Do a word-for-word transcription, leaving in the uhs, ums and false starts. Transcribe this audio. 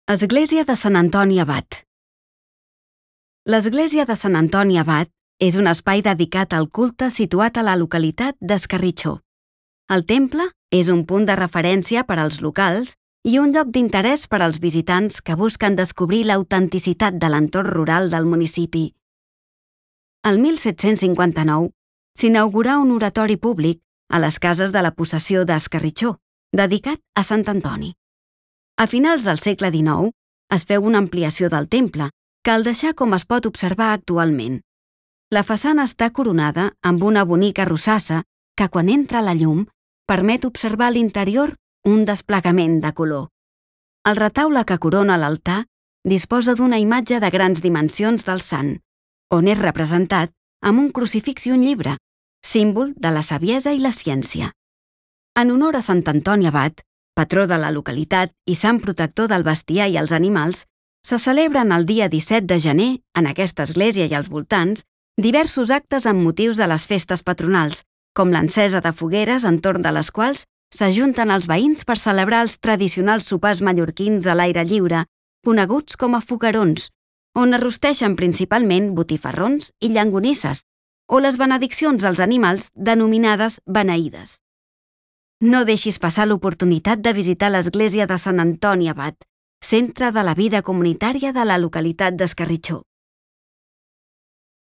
Església de Sant Antoni Abat. L'església de Sant Antoni Abat és un espai dedicat al culte situat a la localitat d'Escarritxó. El temple és un punt de referència per als locals i un lloc d'interès per als visitants que busquen descobrir l'autenticitat de l'entorn rural del municipi. El mil set-cents cinquanta-nou s'inaugurà un oratori públic a les cases de la possessió d'Escarritxó, dedicat a Sant Antoni. A finals del segle dinou es feu una ampliació del temple, que el deixà com es pot observar actualment. La façana està coronada amb una bonica rosassa que, quan entra la llum, permet observar a l'interior un desplegament de color. El retaule que corona l'altar disposa d'una imatge de grans dimensions del sant, on és representat amb un crucifix i un llibre, símbol de la saviesa i la ciència. En honor a Sant Antoni Abat, patró de la localitat i sant protector del bestiar i els animals, se celebren el dia disset de gener, en aquesta església i als voltants, diversos actes amb motius de les festes patronals, com l'encesa de fogueres entorn de les quals s'ajunten els veïns per celebrar els tradicionals sopars mallorquins a l'aire lliure, coneguts com a foguerons, on es rosteixen principalment botifarrons i llangonisses, o les benediccions als animals denominades beneïdes. No deixis passar l'oportunitat de visitar l'església de Sant Antoni Abat, centre de la vida comunitària de la localitat d'Escarritxó.